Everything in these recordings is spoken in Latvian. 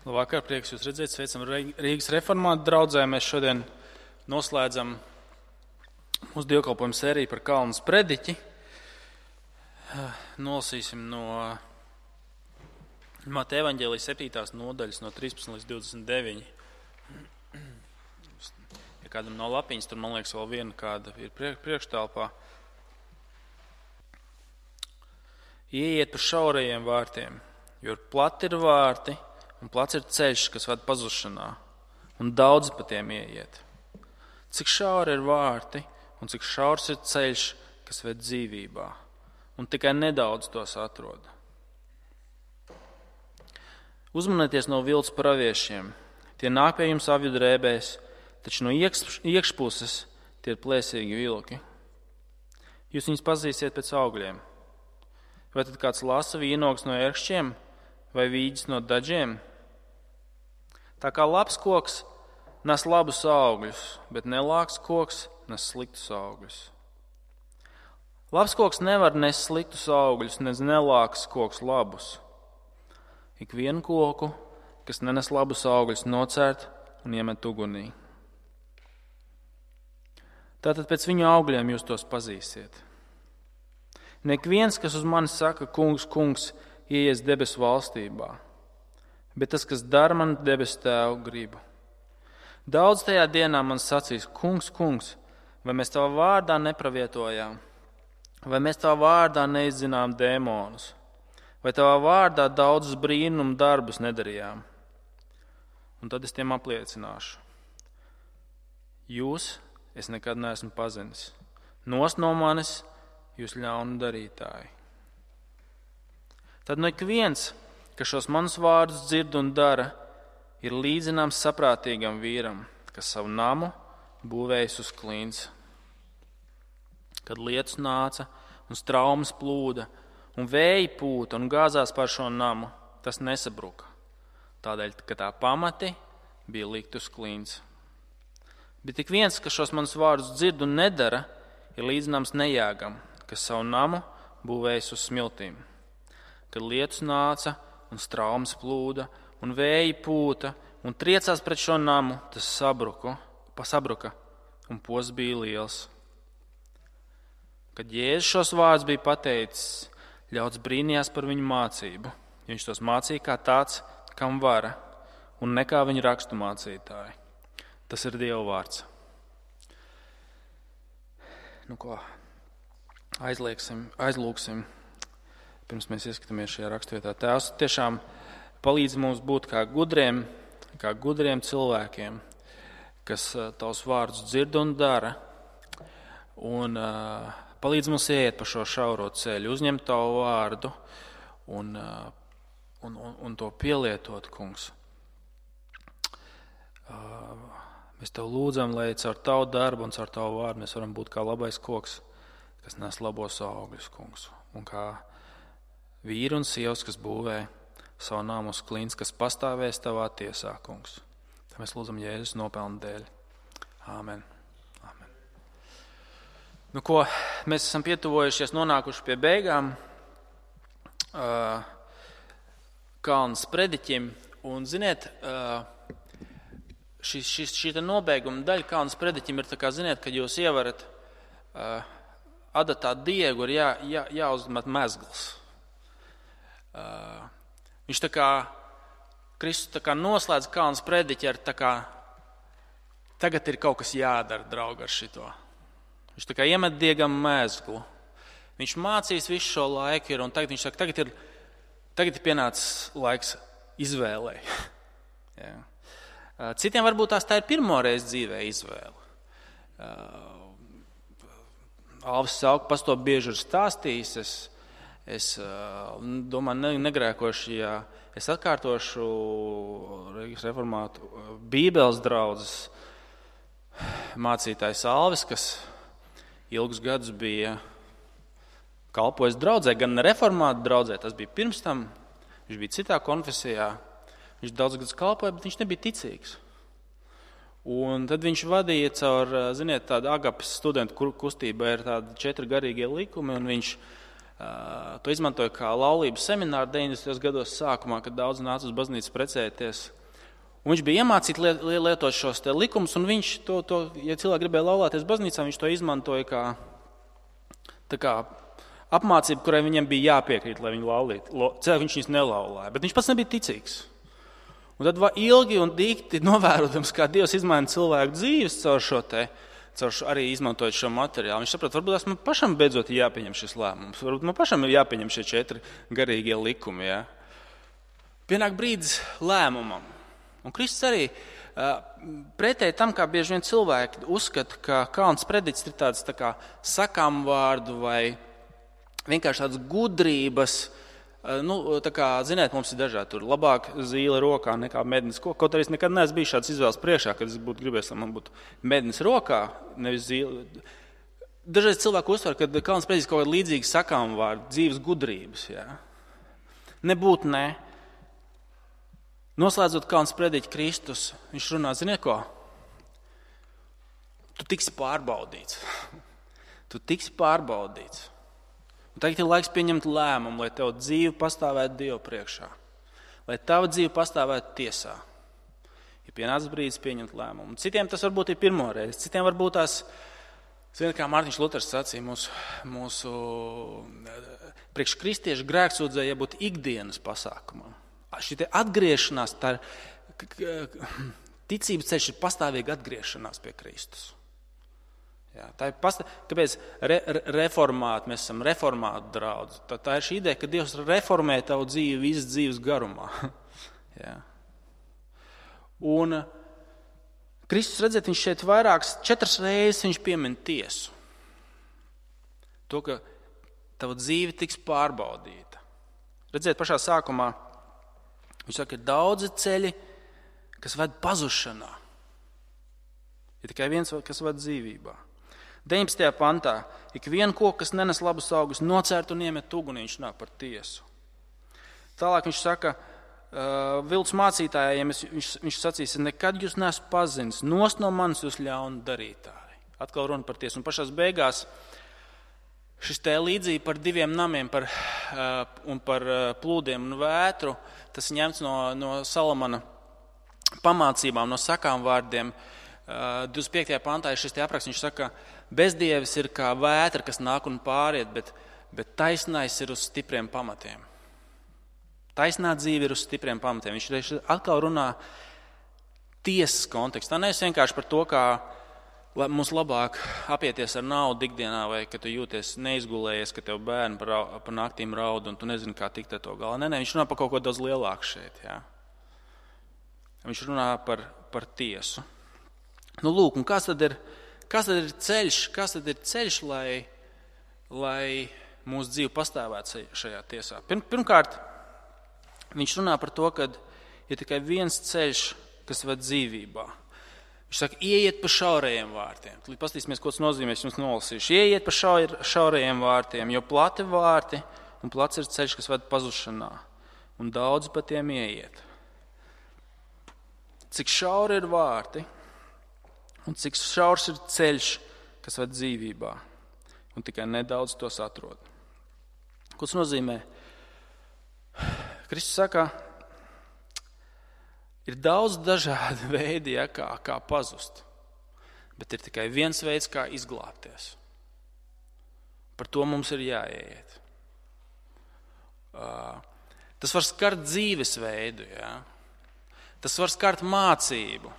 Labvakar, prieks jūs redzēt, sveicam Rīgas reformātu draudzē. Mēs šodien noslēdzam mūsu dievkalpojumu sēriju par Kalnu sprediķi. Nolasīsim no Mateja evaņģēlijas 7. nodaļas no 13 līdz 29. Ja kādam nav lapiņas, tur man liekas vēl viena kāda ir priekštelpā. Ieiet pa šaurajiem vārtiem, jo plati ir vārti un plats ir ceļš, kas ved pazušanā, un daudzi pa tiem ieiet. Cik šauri ir vārti un cik šaurs ir ceļš, kas ved dzīvībā, un tikai nedaudz tos atrod. Uzmanieties no viltus praviešiem. Tie nāk pie jums avju drēbēs, taču no iekšpuses tie ir plēsīgi vilki. Jūs viņus pazīsiet pēc augļiem. Vai tad kāds lasa vīnogus no ērkšķiem vai vīģis no daļiem? Tā kā labs koks nes labus augļus, bet nelāks koks nes sliktus augļus. Labs koks nevar nest sliktus augļus, nelāks koks labus. Ikvienu koku, kas nenes labus augļus, nocērt un iemet ugunī. Tātad pēc viņu augļiem jūs tos pazīsiet. Nek viens, kas uz mani saka, kungs, kungs, ieies debesu valstībā, bet tas, kas dara man debesu tēvu gribu. Daudz tajā dienā man sacīs, kungs, kungs, vai mēs tavā vārdā nepravietojām, vai mēs tavā vārdā neizzinām dēmonus, vai tavā vārdā daudzus brīnumu darbus nedarījām. Un tad es tiem apliecināšu. Jūs es nekad neesmu pazinis. Nost no manis, jūs ļaunu darītāji. Tad ik viens, kas šos manus vārdus dzird un dara, ir līdzināms saprātīgam vīram, kas savu namu būvējis uz klints. Kad lietus nāca un straumes plūda un vēji pūta un gāzās par šo namu, tas nesabruka. Tādēļ, ka tā pamati bija likt uz klints. Bet ik viens, kas šos manus vārdus dzird un nedara, ir līdzināms nejāgam, kas savu namu būvējis uz smiltīm. Kad lietus nāca un straumes plūda un vēji pūta un triecās pret šo namu, tas sabruka un posts bija liels. Kad Jēzus šos vārdus bija pateicis, ļauds brīnījās par viņu mācību. Viņš tos mācīja kā tāds, kam vara, un ne kā viņa rakstu mācītāji. Tas ir Dieva vārds. Aizlūksim, pirms mēs ieskatāmies šajā rakstvietā. Tēvs tiešām palīdz mums būt kā gudriem cilvēkiem, kas tavus vārdus dzird un dara, un palīdz mums ieiet pa šo šauro ceļu, uzņemt tavu vārdu un to pielietot, kungs. Mēs tev lūdzam, lai caur tavu darbu un caur tavu vārdu mēs varam būt kā labais koks, kas nes labos augļus, kungs, un kā vīri un sievas, kas būvē savu nāmu uz klints, kas pastāvēs tavā tiesā, kungs. Tā mēs lūdzam Jēzus nopelnu dēļ. Āmen. Āmen. Mēs esam pietuvojušies, nonākuši pie beigām Kalna sprediķim, un ziniet, šī nobeiguma daļa Kalna sprediķim ir tā kā, ziniet, kad jūs ievarat adatā diegu, ir jāuzmet mezgls. Viņš tā kā, Kristus tā kā noslēdz Kalna sprediķi ar tā kā, tagad ir kaut kas jādara, draugi, ar šito. Viņš tā kā iemet diegam mezglu. Viņš mācīs visu šo laiku un tagad viņš saka, tagad ir pienācis laiks izvēlei. Jā. Citiem varbūt tā ir pirmoreiz dzīvē izvēle. Alvis Sauka pas to bieži ir stāstījis. Es domāju, negrēkoši, ja es atkārtošu Rīgas reformātu Bībeles draudzes mācītājs Alvis, kas ilgus gadus bija kalpojis draudzē, gan reformātu draudzē, tas bija pirms tam, viņš bija citā konfesijā, viņš daudz gadus kalpoja, bet viņš nebija ticīgs. Un tad viņš vadīja caur, ziniet, tādu agapes studentu kustību, ir tādi 4 garīgie likumi, un viņš to izmantoja kā laulības semināru 90. gados sākumā, kad daudz nāca uz baznīcu precēties. Un viņš bija iemācīts lietot šos te likumus, un viņš ja cilvēki gribēja laulāties baznīcā, viņš to izmantoja kā apmācību, kurai viņiem bija jāpiekrīt, lai viņi laulītu. Cilvēki viņš viņus nelaulāja, bet viņš pats nebija ticīgs. Un tad ilgi un dikti novērotams, kā Dievs izmaina cilvēku dzīves caur arī izmantojot šo materiālu. Viņš saprot, varbūt man pašam beidzot jāpieņem šis lēmums, varbūt man pašam ir jāpieņem šie 4 garīgie likumi. Ja? Pienāk brīdis lēmumam. Un Kristus arī pretēji tam, kā bieži vien cilvēki uzskata, ka kalns prediķis ir tāds tā kā sakām vārdu vai vienkārši tāds gudrības. Tā kā, ziniet, mums ir dažādi tur labāk zīle rokā nekā mednis. Kaut arī es nekad neesmu bijis šāds izvēles priekšā, kad es būtu gribējis, lai man būtu mednis rokā, nevis zīle. Dažreiz cilvēku uztver, ka kalns prediķis kaut kāda līdzīga sakām vārdu, dzīves gudrības. Jā. Nebūt ne. Noslēdzot kalns prediķi Kristus, viņš runā, ziniet ko? Tu tiksi pārbaudīts. Tu tiksi pārbaudīts. Un tagad ir laiks pieņemt lēmumu, lai tev dzīve pastāvētu Dievu priekšā. Lai tava dzīve pastāvētu tiesā. Ir pienācis brīdis pieņemt lēmumu. Citiem tas varbūt ir pirmo reizi. Citiem varbūt tās, ziniet, kā Mārtiņš Luters sacīja, mūsu priekškristiešu grēksūdzēja jābūt ikdienas pasākumam. Šī atgriešanās, ticības ceļš ir pastāvīga atgriešanās pie Kristus. Jā, kāpēc reformāti, mēs esam reformātu draudzi. Tā ir šī ideja, ka Dievs reformē tavu dzīvi visas dzīves garumā. Jā. Un Kristus, redziet, viņš šeit 4 reizes viņš piemin tiesu. To, ka tava dzīve tiks pārbaudīta. Redziet, pašā sākumā viņš saka, ir daudzi ceļi, kas ved pazušanā. Ir tikai viens, kas ved dzīvībā. 19. pantā, ik vienu koku, kas nenes labus augus, nocērt un iemet ugunī, viņš runā par tiesu. Tālāk viņš saka, viltus mācītājiem, viņš sacīs, nekad jūs neesat pazinis, nost no manis jūs ļaunu darītāji. Atkal runa par tiesu. Un pašās beigās šis te līdzība par 2 namiem un par plūdiem un vētru, tas ņemts no Salamana pamācībām, no sakām vārdiem. 25. pantā ir šis te apraksts, viņš saka, bezdievis ir kā vētra, kas nāk un pāriet, bet taisnais ir uz stipriem pamatiem. Taisnā dzīve ir uz stipriem pamatiem. Viņš atkal runā tiesas kontekstā. Nevis vienkārši par to, kā mums labāk apieties ar naudu ikdienā, vai ka tu jūties neizgulējies, ka tev bērni par naktīm raud un tu nezini, kā tikt ar to galā. Nē, viņš runā par kaut ko daudz lielāku šeit. Jā. Viņš runā par tiesu. Nu, lūk, un kas tad ir ceļš, lai mūsu dzīve pastāvētu šajā tiesā? Pirmkārt, viņš runā par to, ka ir tikai viens ceļš, kas ved dzīvībā. Viņš saka, ieiet pa šaurajiem vārtiem. Tad paskatīsimies, ko tas nozīmē, es jums nolasīšu. Ieiet pa šaurajiem vārtiem, jo plati vārti un plats ir ceļš, kas ved pazušanā, un daudz pa tiem ieiet. Cik šauri ir vārti, un cik šaurs ir ceļš, kas ved dzīvībā, un tikai nedaudz tos atrod. Ko tas nozīmē? Kristus saka, ir daudz dažādi veidi, kā pazust, bet ir tikai viens veids, kā izglābties. Par to mums ir jāieiet. Tas var skart dzīvesveidu, jā. Tas var skart mācību.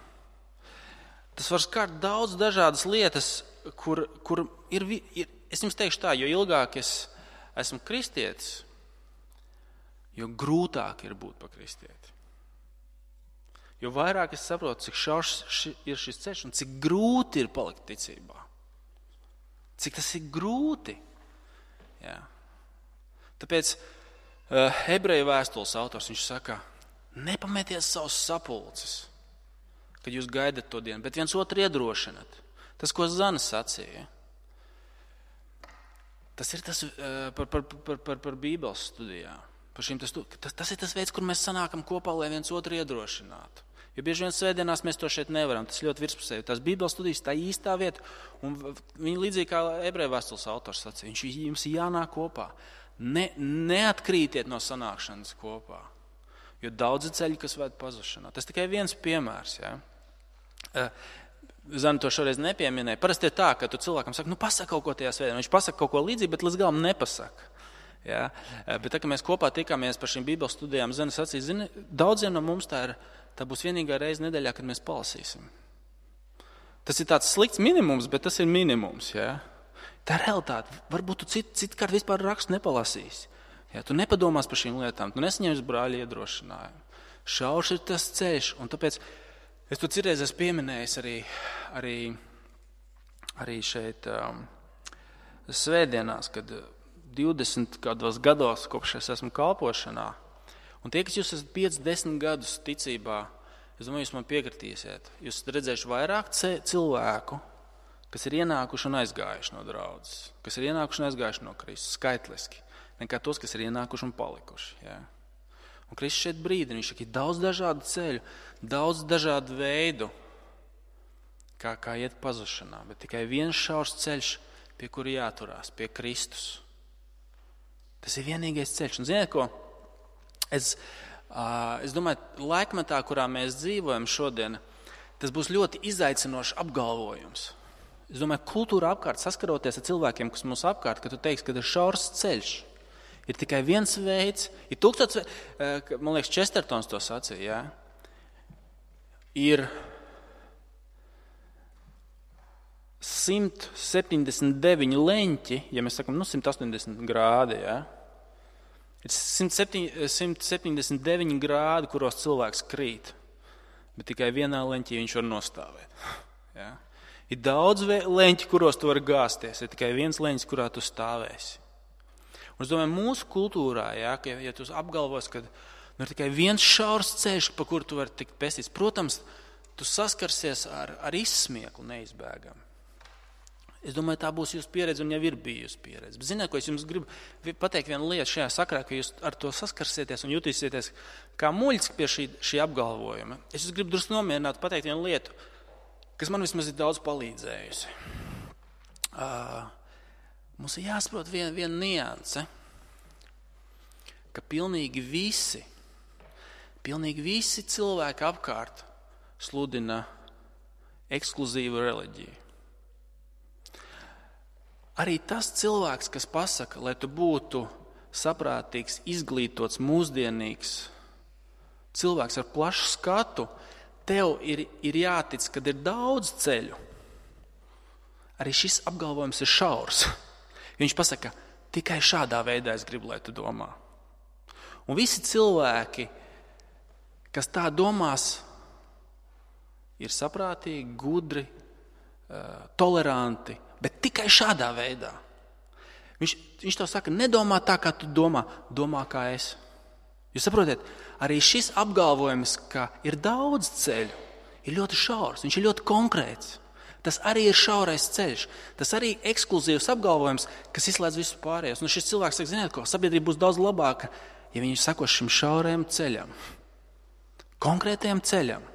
Tas var skart daudz dažādas lietas, kur ir, es jums teikšu tā, jo ilgāk es esmu kristietis, jo grūtāk ir būt par kristieti. Jo vairāk es saprotu, cik šaurs ir šis ceļš un cik grūti ir palikt ticībā. Cik tas ir grūti. Jā. Tāpēc Ebreju vēstules autors, viņš saka, nepameties savus sapulces, kad jūs gaidat to dienu, bet viens otru iedrošinat. Tas, ko Zana sacīja, tas ir tas par Bībeles studijām. Tas ir tas veids, kur mēs sanākam kopā, lai viens otru iedrošinātu. Jo bieži vien svētdienās mēs to šeit nevaram, tas ļoti virspusēji. Tās Bībeles studijas, tā īstā vieta, un viņi līdzīgi kā Ebreju vēstules autors sacīja, viņš jums jānāk kopā. neatkrītiet no sanākšanas kopā, jo daudzi ceļi, kas ved pazušanā. Tas tikai viens piemērs. Ja? Zana to šoreiz nepieminēja. Parasti ir tā, ka tu cilvēkam saki, pasaka kaut ko tajā svētdienā. Viņš pasaka kaut ko līdzīgu, bet līdz galam nepasaka. Ja? Bet tā, ka mēs kopā tikāmies par šīm Bībeles studijām, Zana sacīja, daudziem no mums tā būs vienīgā reize nedēļā, kad mēs palasīsim. Tas ir tāds slikts minimums, bet tas ir minimums. Ja? Tā ir realitāte. Varbūt tu citkārt vispār rakstu nepalasīsi. Ja? Tu nepadomās par šīm lietām, tu nesaņemsi brāļa iedrošinājumu. Šaurs ir tas ceļš, un tāpēc es to citreiz esmu pieminējis arī šeit svētdienās, kad 20 gados, kopš es esmu kalpošanā, un tie, kas jūs esat 5-10 gadus ticībā, es domāju, jūs man piekritīsiet. Jūs esat redzējuši vairāk cilvēku, kas ir ienākuši un aizgājuši no draudzes, kas ir ienākuši un aizgājuši no Kristus, skaitliski, nekā tos, kas ir ienākuši un palikuši. Ja? Un Kristus šeit brīdina, viņš saka, ir daudz dažādu ceļu, daudz dažādu veidu, kā iet pazušanā, bet tikai viens šaurs ceļš, pie kura jāturās, pie Kristus. Tas ir vienīgais ceļš. Un ziniet ko? Es domāju, laikmetā, kurā mēs dzīvojam šodien, tas būs ļoti izaicinošs apgalvojums. Es domāju, kultūra apkārt, saskaroties ar cilvēkiem, kas mums apkārt, ka tu teiksi, ka ir šaurs ceļš. Ir tikai viens veids, ir man liekas, Chestertons to sacīja, ja? Ir 179 leņķi, ja mēs sakam, 180 grādi, ja? Ir 179 grādi, kuros cilvēks krīt, bet tikai vienā leņķī viņš var nostāvēt. Ja? Ir daudz leņķi, kuros tu vari gāzties, ir tikai viens leņķis, kurā tu stāvēsi. Un es domāju, mūsu kultūrā, ja tu apgalvos, ka ir tikai viens šaurs ceļš, pa kuru tu vari tikt pestīts, protams, tu saskarsies ar izsmieklu neizbēgami. Es domāju, tā būs jūsu pieredze un jau ir bijusi pieredze. Bet ziniet, ko es jums gribu pateikt vienu lietu šajā sakarā, ka jūs ar to saskarsieties un jutīsieties kā muļķis pie šī apgalvojuma. Es jūs gribu drusku nomierināt, pateikt vienu lietu, kas man vismaz ir daudz palīdzējusi. Mums ir jāsaprot viena nianse, ka pilnīgi visi cilvēki apkārt sludina ekskluzīvu reliģiju. Arī tas cilvēks, kas pasaka, lai tu būtu saprātīgs, izglītots, mūsdienīgs cilvēks ar plašu skatu, tev ir jātic, kad ir daudz ceļu. Arī šis apgalvojums ir šaurs. Viņš pasaka, tikai šādā veidā es gribu, lai tu domā. Un visi cilvēki, kas tā domās, ir saprātīgi, gudri, toleranti, bet tikai šādā veidā. Viņš to saka, nedomā tā, kā tu domā, domā kā es. Jūs saprotiet, arī šis apgalvojums, ka ir daudz ceļu, ir ļoti šaurs, viņš ir ļoti konkrēts. Tas arī ir šaurais ceļš, tas arī ekskluzīvs apgalvojums, kas izslēdz visus pārējos. Un šis cilvēks saka, ziniet ko, sabiedrība būs daudz labāka, ja viņi sako šim šaurajam ceļam, konkrētajam ceļam.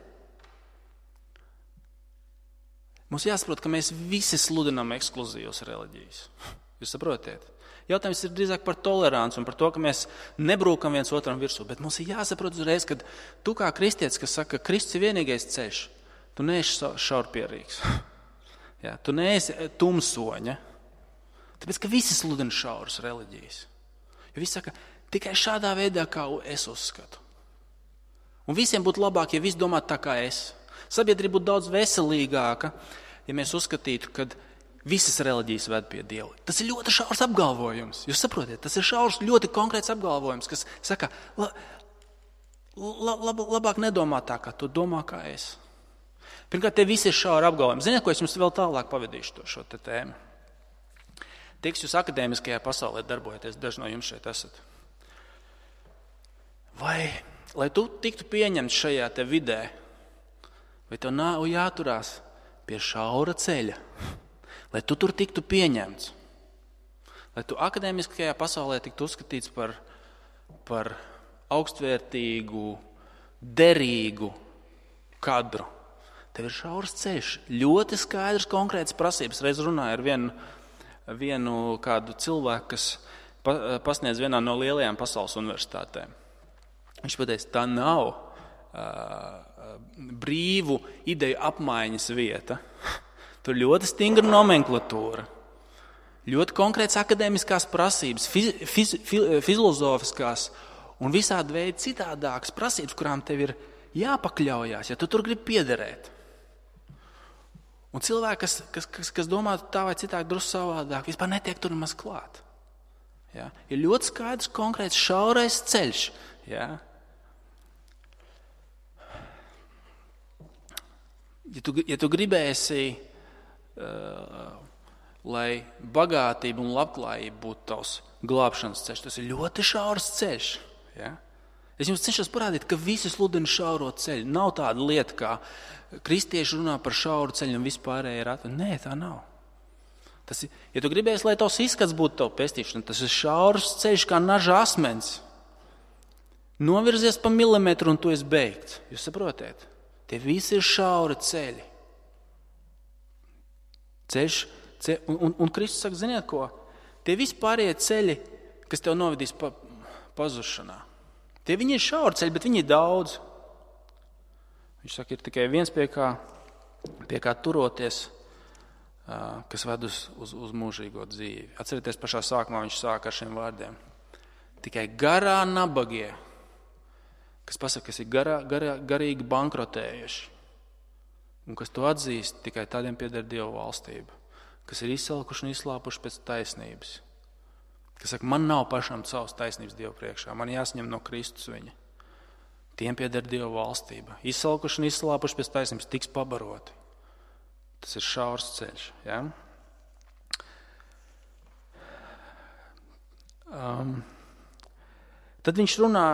Mums jāsaprot, ka mēs visi sludinām ekskluzīvas reliģijas. Jūs saprotiet? Jautājums ir drīzāk par toleranci un par to, ka mēs nebrūkam viens otram virsū. Bet mums ir jāsaprot uzreiz, ka tu kā kristietis, kas saka, ka Kristus ir vienīgais ceļš, tu neesi šaurpierīgs. Ja, tu neesi tumsoņa. Tāpēc, ka visi sludina šauras reliģijas. Jo visi saka, tikai šādā veidā, kā es uzskatu. Un visiem būtu labāk, ja visi domātu tā kā es. Sabiedrība būtu daudz veselīgāka, ja mēs uzskatītu, ka visas reliģijas ved pie Dieva. Tas ir ļoti šaurs apgalvojums. Jūs saprotiet, tas ir šaurs, ļoti konkrēts apgalvojums, kas saka, labāk nedomā tā, kā tu domā, kā es. Pirmkārt, te visi ir šauri apgalvojumi. Ziniet, ko es jums vēl tālāk pavadīšu šo tēmu? Tie, kas jūs akadēmiskajā pasaulē darbojaties, daži no jums šeit esat. Vai, lai tu tiktu pieņemts šajā te vidē, vai tev nav jāturās pie šaura ceļa, lai tu tur tiktu pieņemts, lai tu akadēmiskajā pasaulē tiktu uzskatīts par augstvērtīgu, derīgu kadru. Tev ir šaurs ceļš, ļoti skaidrs, konkrēts prasības. Reiz runāju ar vienu kādu cilvēku, kas pasniedz vienā no lielajām pasaules universitātēm. Viņš pateica, tā nav brīvu ideju apmaiņas vieta. Tur ļoti stingra nomenklatūra, ļoti konkrētas akadēmiskās prasības, filozofiskās un visādi veidi citādākas prasības, kurām tev ir jāpakļaujās, ja tu tur gribi piederēt. Un cilvēki, kas domā tā vai citādi drusku savādāk, vispār netiek tur nemaz klāt. Ja? Ir ļoti skaidrs, konkrēts, šaurais ceļš. Ja? Ja tu gribēsi, lai bagātība un labklājība būtu tavs glābšanas ceļš, tas ir ļoti šaurs ceļš. Ja? Es jums cenšos parādīt, ka visi sludina šauro ceļu. Nav tāda lieta, kā kristieši runā par šauru ceļu un vispārēji ir atveļ. Nē, tā nav. Tas ir, ja tu gribēsi, lai tavs izskats būtu tavu pestīšana, tas ir šaurs ceļš kā naža asmens. Novirzies pa milimetru un tu esi beigts. Jūs saprotiet? Tie visi ir šauri ceļi. Un Kristus saka, ziniet ko? Tie visi pārējie ceļi, kas tev novedīs pazušanā. Tie viņi ir šauri ceļi, bet viņi ir daudz. Viņš saka, ir tikai viens pie kā turoties, kas ved uz mūžīgo dzīvi. Atcerieties, pašā sākumā viņš sāk ar šiem vārdiem. Tikai garā nabagie, kas pasaka, kas ir garīgi bankrotējuši, un kas to atzīst, tikai tādiem pieder Dieva valstība, kas ir izsalkuši un izslāpuši pēc taisnības, kas saka, man nav pašam savas taisnības Dieva priekšā, man jāsaņem no Kristus viņa. Tiem pieder Dieva valstība. Izsalkuši un izslāpuši pēc taisnības tiks pabaroti. Tas ir šaurs ceļš. Ja? Tad viņš runā,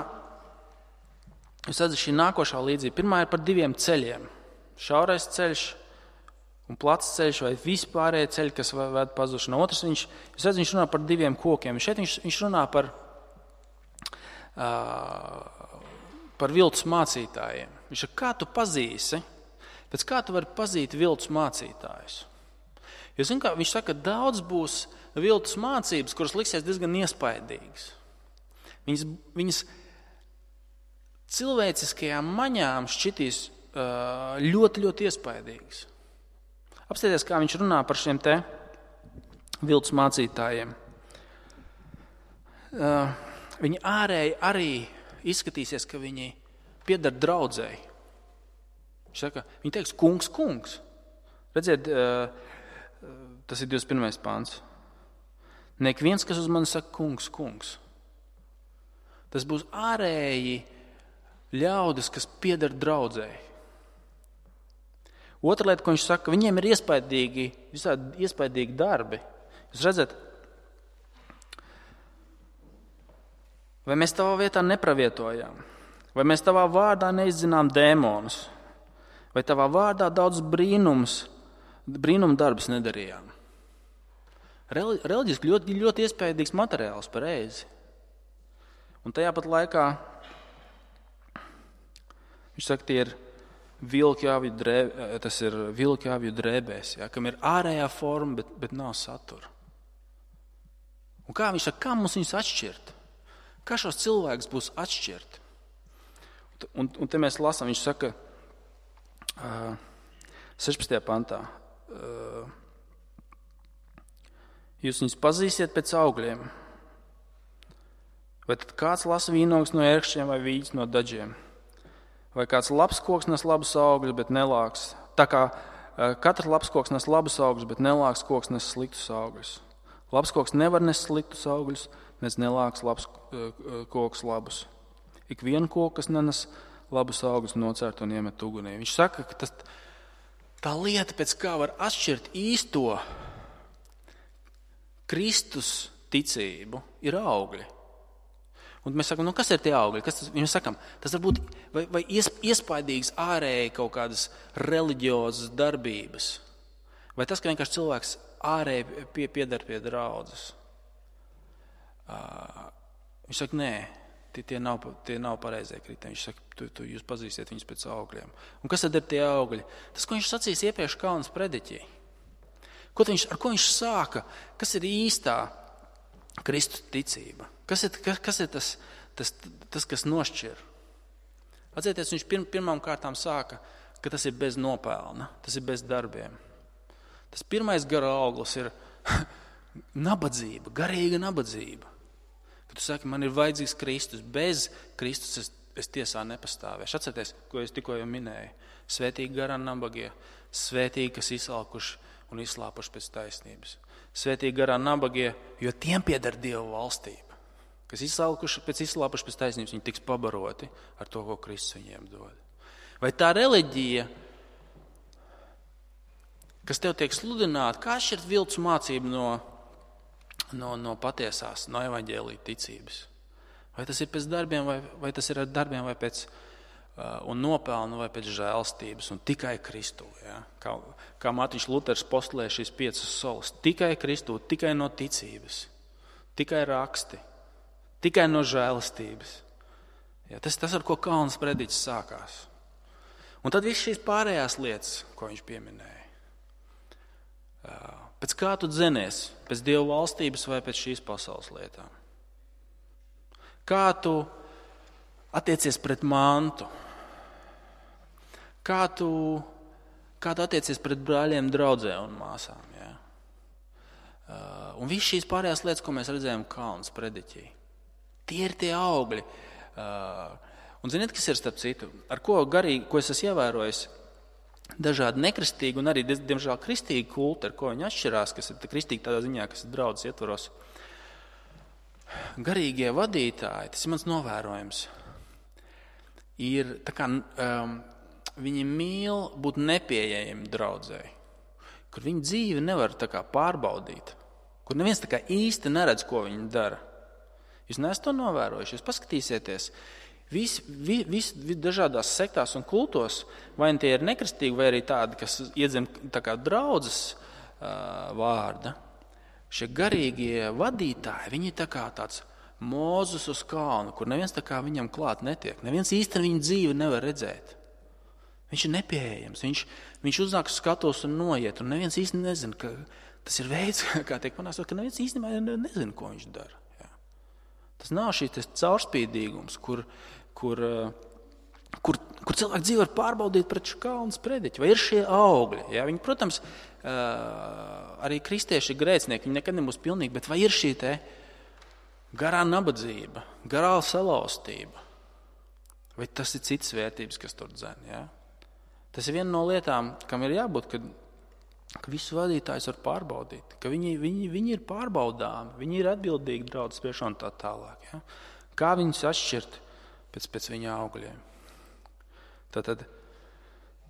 jūs redzat, šī nākošā līdzība. Pirmā ir par 2 ceļiem. Šaurais ceļš un plats ceļš vai vispārējie ceļi, kas ved pazušanā. Otrs, viņš runā par 2 kokiem. Šeit viņš runā par viltus mācītājiem. Viņš saka, kā tu pazīsi, pēc kā tu vari pazīt viltus mācītājus? Jo, viņš saka, ka daudz būs viltus mācības, kuras liksies diezgan iespaidīgas. Viņas cilvēciskajām maņām šķitīs ļoti, ļoti iespaidīgas. Apstieties, kā viņš runā par šiem te viltus mācītājiem. Viņi ārēji arī izskatīsies, ka viņi pieder draudzēji. Viņš saka, viņi teiks, kungs, kungs. Redziet, tas ir 21. pāns. Nek viens, kas uz mani saka, kungs, kungs. Tas būs ārēji ļaudis, kas pieder draudzēji. Otra lieta, ko viņš saka, viņiem ir visādi iespaidīgi darbi. Jūs redzat, vai mēs tavā vietā nepravietojām? Vai mēs tavā vārdā neizzinām dēmonus? Vai tavā vārdā daudz brīnumu darbus nedarījām? Reliģiski ļoti, ļoti iespaidīgs materiāls pareizi. Un tajā pat laikā viņš saka, tie ir vilku avju drēbēs, ja, kam ir ārējā forma, bet nav satura. Un kā viņš saka, kā mums viņus atšķirt? Kā šos cilvēkus būs atšķirt? Un te mēs lasām, viņš saka 16. pantā. Jūs viņus pazīsiet pēc augļiem. Vai tad kāds lasa vīnogus no ērkšķiem vai vīģis no daģiem? Vai kāds labs koks nes labus augļus, bet nelāks? Tā kā katrs labs koks nes labus augļus, bet nelāks koks nes sliktus augļus. Labs koks nevar nes sliktus augļus, nes nelāks labs koks labus. Ik vienu koku, kas nenes labus augļus, nocērt un iemet ugunī. Viņš saka, ka tā lieta, pēc kā var atšķirt īsto Kristus ticību, ir augļi. Un mēs sakām, kas ir tie augļi? Mēs sakām, tas var būt vai iespaidīgs ārēji kaut kādas reliģiozas darbības. Vai tas, ka vienkārši cilvēks ārēji pieder pie draudzes. Viņš saka, nē, tie nav pareizie kriterijumi. Viņš saka, jūs pazīsiet viņus pēc augļiem. Un kas tad ir tie augļi? Tas, ko viņš sacīs iepriekš Kalnas prediķī. Ar ko viņš sāka? Kas ir īstā Kristus ticība? Kas ir tas, kas nošķir? Atcerieties, viņš pirmām kārtām sāka, ka tas ir bez nopelna, tas ir bez darbiem. Tas pirmais gara auglis ir nabadzība, garīga nabadzība. Kad tu saki, man ir vajadzīgs Kristus, bez Kristus es tiesā nepastāvēšu. Atcerieties, ko es tikko jau minēju. Svētīgi garā nabagie, svētīgi, kas izsalkuši un izslāpuši pēc taisnības. Svētīgi garā nabagie, jo tiem pieder Dieva valstība. Kas izslāpuši pēc taisnības, viņi tiks pabaroti ar to, ko Kristus viņiem dod. Vai tā reliģija, kas tev tiek sludināta, kā šķirt viltus mācību no patiesās, no evaņģēlija ticības? Vai tas ir pēc darbiem, vai tas ir ar darbiem, vai pēc un nopelnu, vai pēc žēlstības, un tikai Kristu? Ja? Kā Mārtiņš Luters postulē šīs 5 solas. Tikai Kristu, tikai no ticības, tikai raksti, tikai no žēlastības. Ja? Tas, ar ko Kalnas prediķis sākās. Un tad viss šīs pārējās lietas, ko viņš pieminēja. Pēc kā tu dzenies? Pēc Dieva valstības vai pēc šīs pasaules lietām? Kā tu attiecies pret mantu? Kā tu attiecies pret brāļiem, draudzē un māsām? Ja? Un viss šīs pārējās lietas, ko mēs redzējām Kalnas prediķī, tie ir tie augļi. Un ziniet, kas ir starp citu? Ar ko garīgi, ko es esmu ievērojis, dažādi nekristīgi un arī, diemžēl, kristīgi kulti, ar ko viņi atšķirās, kas ir kristīgi tādā ziņā, kas ir draudzes ietvaros. Garīgie vadītāji, tas ir mans novērojums, ir tā kā viņi mīl būt nepieejami draudzei, kur viņa dzīve nevar tā kā pārbaudīt, kur neviens tā kā īsti neredz, ko viņi dara. Jūs neesat to novērojuši, jūs paskatīsieties. Visi dažādās sektās un kultos, vai tie ir nekristīgi, vai arī tādi, kas iedzem tā kā draudzes vārda. Šie garīgie vadītāji, viņi ir tā kā tāds Mozus uz kalnu, kur neviens tā kā viņam klāt netiek. Neviens īsti viņa dzīvi nevar redzēt. Viņš ir nepieejams, viņš uznāk skatos un noiet, un neviens īsti nezina, ka tas ir veids, kā tiek panāks, ka neviens īstenībā nezina, ko viņš dara. Jā. Tas nav šīs caurspīdīgums, kur cilvēki dzīvi var pārbaudīt pret šo Kalnas prediķi, vai ir šie augļi. Jā? Viņi, protams, arī kristieši ir grēcinieki, viņi nekad nebūs pilnīgi, bet vai ir šī te garā nabadzība, garā salauztība, vai tas ir citas vērtības, kas tur dzen. Jā? Tas ir viena no lietām, kam ir jābūt, ka visus vadītājus var pārbaudīt, ka viņi ir pārbaudāmi, viņi ir atbildīgi draudzes priekšā un tā tālāk. Ja? Kā viņus atšķirt pēc viņa augļiem? Tātad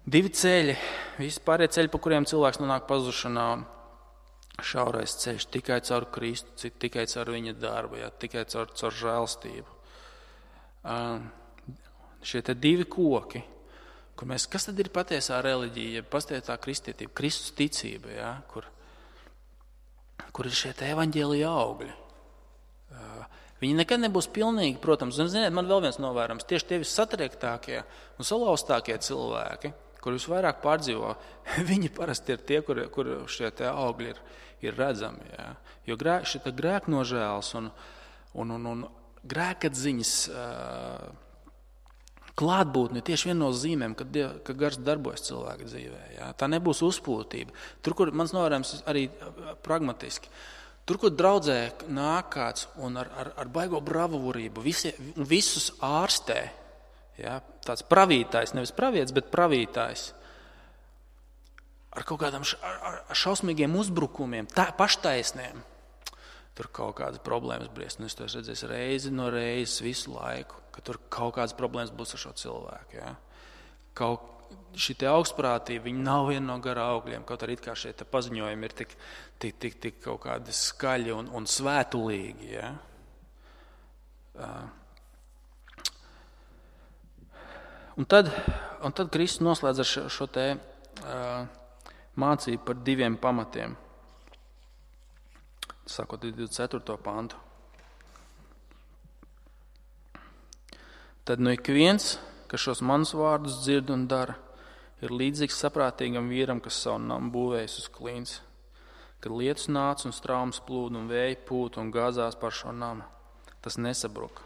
2 ceļi, visi pārējie ceļi, pa kuriem cilvēks nonāk pazušanā, šaurais ceļš, tikai caur Kristu, tikai caur viņa darbu, ja? Tikai caur žēlstību. Šie te 2 koki, kas tad ir patiesā reliģija, patiesā kristietība, Kristus ticība, ja? Kur ir šie te evaņģēlija augļi. Viņi nekad nebūs pilnīgi, protams, un ziniet, man vēl viens novērams, tieši tie visatriektākie un salauztākie cilvēki, kur visvairāk pārdzīvo, viņi parasti ir tie, kur šie te augļi ir redzami. Ja? Jo šī grēknožēls un grēkatziņas klātbūtne ir tieši viena no zīmēm, ka gars darbojas cilvēka dzīvē. Ja? Tā nebūs uzpūtība. Tur, kur mans novērojums arī pragmatiski, tur, kur draudzē nāk kāds un ar baigo bravūrību visus ārstē, ja? Tāds pravītājs, nevis pravietis, bet pravītājs, ar kaut kādām šausmīgiem uzbrukumiem, paštaisniem, tur kaut kādas problēmas briest. Un es to redzēju reizi no reizes visu laiku, ka tur kaut kādas problēmas būs ar šo cilvēku. Ja? Šī augstprātība, viņi nav viena no garā augļiem, kaut arī kā šie paziņojumi ir tik kaut kādi skaļi un svētulīgi. Ja? Un tad Kristus noslēdz ar šo te mācību par 2 pamatiem, sākot 24. pantu. Tad ik viens, kas šos manus vārdus dzird un dara, ir līdzīgs saprātīgam vīram, kas savu namu būvējis uz klints. kad lietus nāca un straumes plūda un vēji pūta un gāzās par šo namu. Tas nesabruka,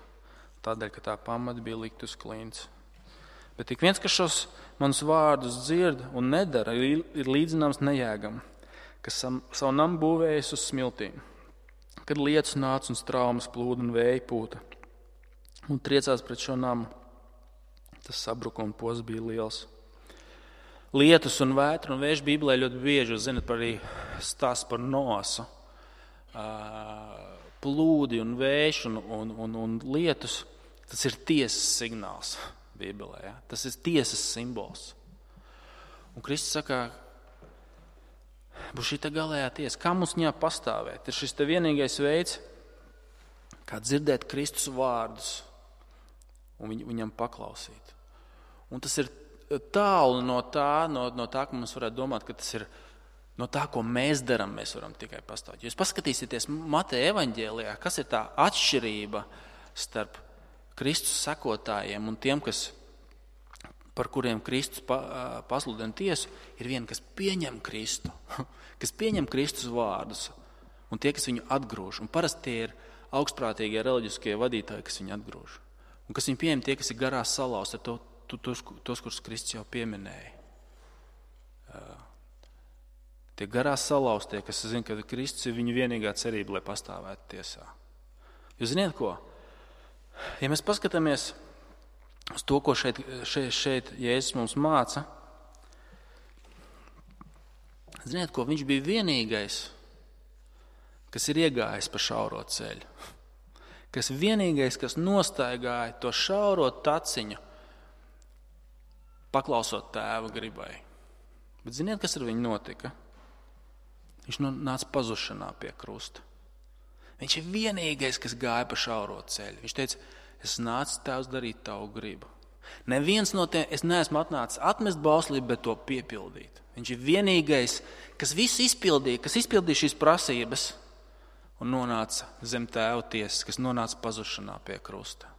tādēļ, ka tā pamata bija likt uz klints. Bet ik viens, kas šos manus vārdus dzird un nedara, ir līdzināms nejēgam, kas savu namu būvējis uz smiltīm. Kad lietus nāca un straumes plūda un vēji pūta un triecās pret šo namu, tas sabruka un posts bija liels. Lietus un vētra un vējš Bībelē ļoti bieži, jūs zinat, par arī stāsts par Noasu. Plūdi un vējš un lietus, tas ir tiesas signāls Bībelē. Ja? Tas ir tiesas simbols. Un Kristus saka, būs šī te galējā tiesa. Kā mums viņā pastāvēt? Ir šis te vienīgais veids, kā dzirdēt Kristus vārdus un viņam paklausīt. Un tas ir tālu no tā, ka mums varētu domāt, ka tas ir no tā, ko mēs darām, mēs varam tikai pastāvēt. Jūs paskatīsieties Mateja evaņģēlijā, kas ir tā atšķirība starp Kristus sekotājiem un tiem, par kuriem Kristus pasludina tiesu, ir viena, kas pieņem Kristu, kas pieņem Kristus vārdus, un tie, kas viņu atgrūž. Un parasti tie ir augstprātīgie reliģiskie vadītāji, kas viņu atgrūž. Un kas viņu pieņem tie, kas ir garās salauzti, ar tos, kurus Kristus jau pieminēja. Tie garās salauztie, kas zina, ka Kristus ir viņu vienīgā cerība, lai pastāvētu tiesā. Jūs ziniet ko? Ja mēs paskatāmies uz to, ko šeit Jēzus mums māca, ziniet ko? Viņš bija vienīgais, kas ir iegājis pa šauro ceļu. Kas vienīgais, kas nostaigāja to šauro taciņu, paklausot tēva gribai. Bet ziniet, kas ar viņu notika? Viņš nāca pazušanā pie krusta. Viņš ir vienīgais, kas gāja pa šauro ceļu. Viņš teica, es nācu tēvs darīt tavu gribu. Neviens no tiem, es neesmu atnācis atmest bauslību, bet to piepildīt. Viņš ir vienīgais, kas visu izpildīja, kas izpildīja šīs prasības un nonāca zem tēva tiesas, kas nonāca pazušanā pie krusta.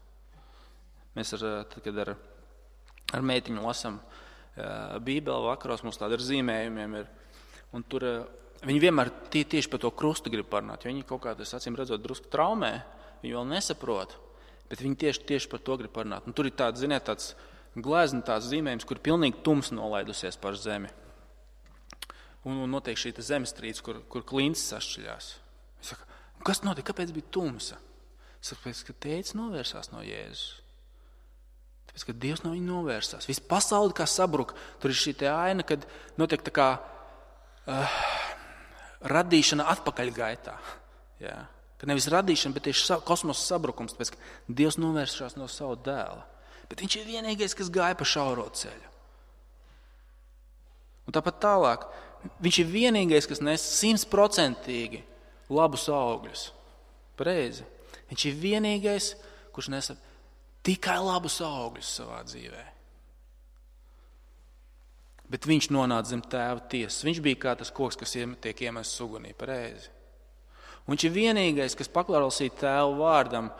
Mēs kad ar meitiņu lasam Bībeli vakaros, mums tāda ar zīmējumiem ir, un tur viņi vienmēr tieši par to krustu grib parunāt, jo viņi kaut kā, acīm redzot, drusku traumē, viņi vēl nesaprot, bet viņi tieši par to grib parunāt. Un tur ir tāds, ziniet, tāds glezna, tāds zīmējums, kur pilnīgi tums nolaidusies par zemi. Un notiek šī zemestrīce, kur klints sašķiļās. Es saku, kas notika, kāpēc bija tumsa? Es saku, ka tētis novērsās no Jēzus. Tāpēc, ka Dievs no viņa novērsās. Viss pasauli kā sabruka. Tur ir šī te aina, kad notiek tā kā radīšana atpakaļ gaitā. Jā. Ka nevis radīšana, bet tieši kosmosa sabrukums, tāpēc, ka Dievs novērsās no savu dēla. Bet viņš ir vienīgais, kas gāja pa šauro ceļu. Un tāpat tālāk, viņš ir vienīgais, kas nes 100% labus augļus. Pareizi. Viņš ir vienīgais, kurš nes tikai labus augļus savā dzīvē. Bet viņš nonāca zem tēva tiesas. Viņš bija kā tas koks, kas tiek iemests ugunī. Pareizi. Un viņš ir vienīgais, kas paklausīja tēva vārdam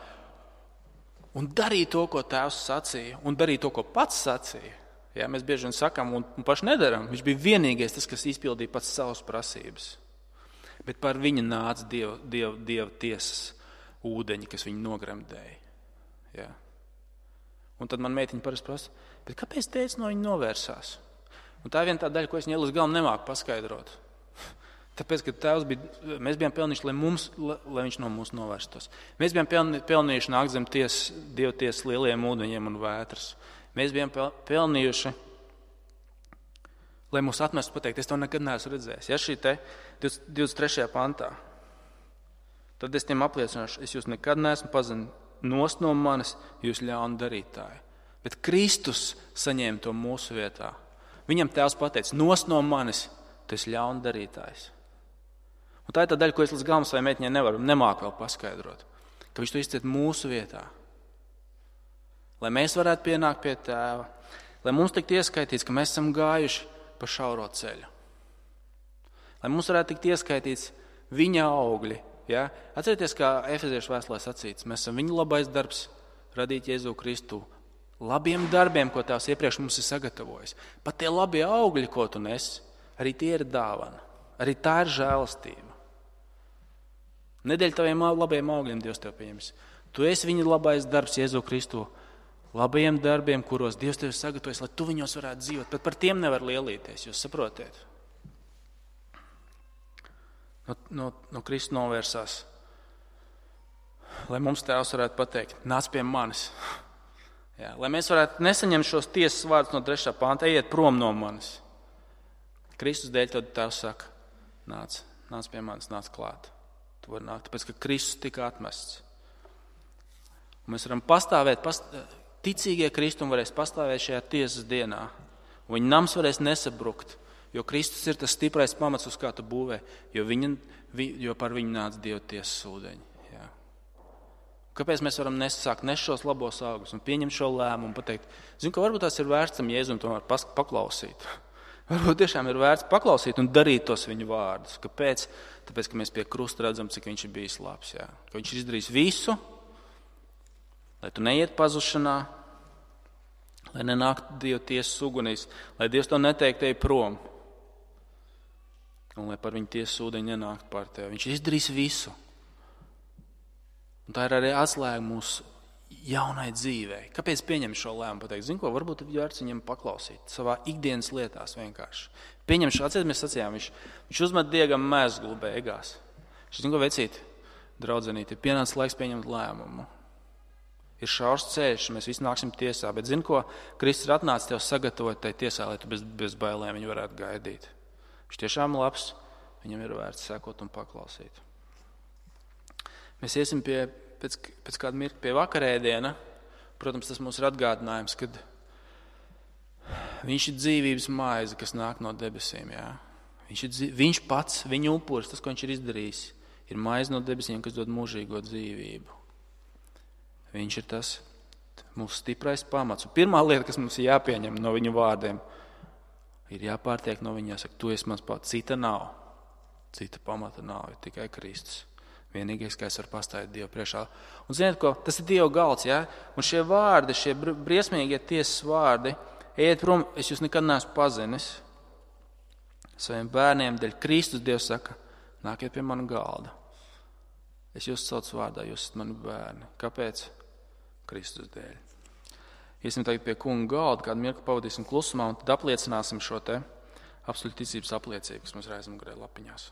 un darīja to, ko tēvs sacīja, un darīja to, ko pats sacīja. Jā, mēs bieži vien sakām un paši nedaram. Viņš bija vienīgais tas, kas izpildīja pats savas prasības. Bet par viņu nāca Dieva tiesas ūdeņi, kas viņu nogremdēja. Jā. Un tad man meitiņa parasti prasa, bet kāpēc tētis no viņa novērsās? Un tā ir viena tā daļa, ko es līdz galam nemāku paskaidrot. Tāpēc, ka mēs bijām pelnījuši, lai viņš no mums novērstos. Mēs bijām pelnījuši nākt zem Dieva tiesas lieliem ūdeņiem un vētras. Mēs bijām pelnījuši, lai mūs atmestu pateikt, es to nekad neesmu redzējis. Ja šī te 23. pantā, tad es tiem apliecināšu, es jūs nekad neesmu pazinis. Nost no manis jūs ļauni darītāji. Bet Kristus saņēma to mūsu vietā. Viņam tēvs pateica, nost no manis, tu esi ļauni darītājs. Un tā ir tā daļa, ko es līdz galam savai meitiņai nemāku vēl paskaidrot. Ka viņš to izciet mūsu vietā. Lai mēs varētu pienākt pie tēva. Lai mums tikt ieskaitīts, ka mēs esam gājuši pa šauro ceļu. Lai mums varētu tikt ieskaitīts viņa augļi. Ja? Atcerieties, kā Efeziešu vēstulē sacīts, mēs esam viņa labais darbs, radīt Jēzu Kristu labiem darbiem, ko tās iepriekš mums ir sagatavojis. Pat tie labie augļi, ko tu nes, arī tie ir dāvana. Arī tā ir žēlastība. Ne dēļ taviem labiem augļiem Dievs tev pieņems. Tu esi viņa labais darbs Jēzu Kristu, labajiem darbiem, kuros Dievs tev sagatavojas, lai tu viņos varētu dzīvot. Bet par tiem nevar lielīties, jūs saprotiet. No Kristu novērsās. Lai mums Tēvs varētu pateikt, nāc pie manis. Jā, lai mēs varētu nesaņemt šos tiesas vārdus no 3. panta, ejiet prom no manis. Kristus dēļ tad Tēvs saka, nāc pie manis, nāc klāt. Tu vari nākt, tāpēc, ka Kristus tika atmests. Un mēs varam pastāvēt, ticīgie Kristum varēs pastāvēt šajā tiesas dienā. Un viņa nams varēs nesabrukt, jo Kristus ir tas stiprais pamats, uz kā tu būvē, jo par viņu nāca Dieva tiesas ūdeņi. Jā. Kāpēc mēs varam nesākt šos labos augļus un pieņemt šo lēmumu un pateikt, zinu, ka varbūt tās ir vērts tam Jēzum tomēr paklausīt. Varbūt tiešām ir vērts paklausīt un darīt tos viņu vārdus. Kāpēc? Tāpēc, ka mēs pie krusta redzam, cik viņš ir bijis labs. Jā. Ka viņš ir izdarījis visu, lai tu neiet pazušanā, lai nenāktu Dieva tiesas ugunīs, lai Dievs to neteikt ej prom un lai par viņu tiesas ūdeņi nenāktu par tevi. Viņš ir izdarījis visu. Un tā ir arī atslēga mūsu jaunai dzīvei. Kāpēc pieņem šo lēmumu? Pateikt, zinu ko, varbūt ir vērts viņam paklausīt savā ikdienas lietās vienkārši. Pieņem šo, atcīt, mēs sacījām, viņš uzmet Diegam mezglu beigās. Viņš zinu ko, vecīt, draudzenīt, ir pienācis laiks pieņemt lēmumu. Ir šaurs ceļš, mēs visi nāksim tiesā, bet zinu ko, Kristus ir atnācis tev sagatavot tai tiesā, lai tu bez bailēm viņu varētu gaidīt. Viņš tiešām labs, viņam ir vērts sekot un paklausīt. Mēs iesim pēc kāda mirkļa pie vakarēdiena. Protams, tas mums ir atgādinājums, kad viņš ir dzīvības maize, kas nāk no debesīm. Jā. Viņš pats, viņa upuris, tas, ko viņš ir izdarījis, ir maize no debesīm, kas dod mūžīgo dzīvību. Viņš ir tas mūsu stiprais pamats. Un pirmā lieta, kas mums ir jāpieņem no viņa vārdiem, ir jāpārtiek no viņa, jāsaka, tu esi mans pats. Cita nav. Cita pamata nav, ir tikai Kristus. Vienīgais, kā es varu pastāvēt Dievu priekšā. Un ziniet, ko? Tas ir Dieva galds, jā? Un šie vārdi, šie briesmīgie tiesas vārdi, ejiet prom, es jūs nekad neesmu pazinis. Saviem bērniem dēļ Kristus Dievs saka, nākiet pie mana galda. Es jūs saucu vārdā, jūs esat mani bērni. Kāpēc? Kristus dēļ. Iesim tagad pie kunga galda, kādu mirkli pavadīsim klusumā un tad apliecināsim šo te apstuļu ticības apliecību, kas mums ir aizmugurē lapiņās.